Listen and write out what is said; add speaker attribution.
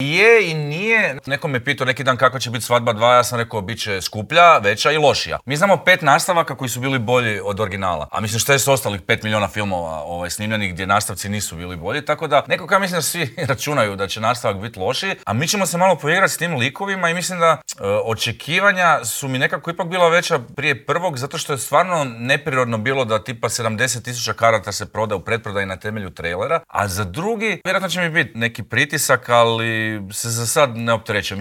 Speaker 1: Je i nije. Neko me pitao neki dan kakva će biti Svadba 2, ja sam rekao bit će skuplja, veća i lošija. Mi znamo 5 nastavaka koji su bili bolji od originala. A mislim šta je s ostalih 5 milijuna filmova snimljenih gdje nastavci nisu bili bolji. Tako da nekako ja mislim da svi računaju da će nastavak biti lošiji. A mi ćemo se malo poigrati s tim likovima i mislim da očekivanja su mi nekako ipak bila veća prije prvog, zato što je stvarno neprirodno bilo da tipa 70,000 karata se proda u pretprodaji na temelju trailera. A za drugi, vjerojatno će mi biti neki pritisak, ali se za sad ne opterećujem.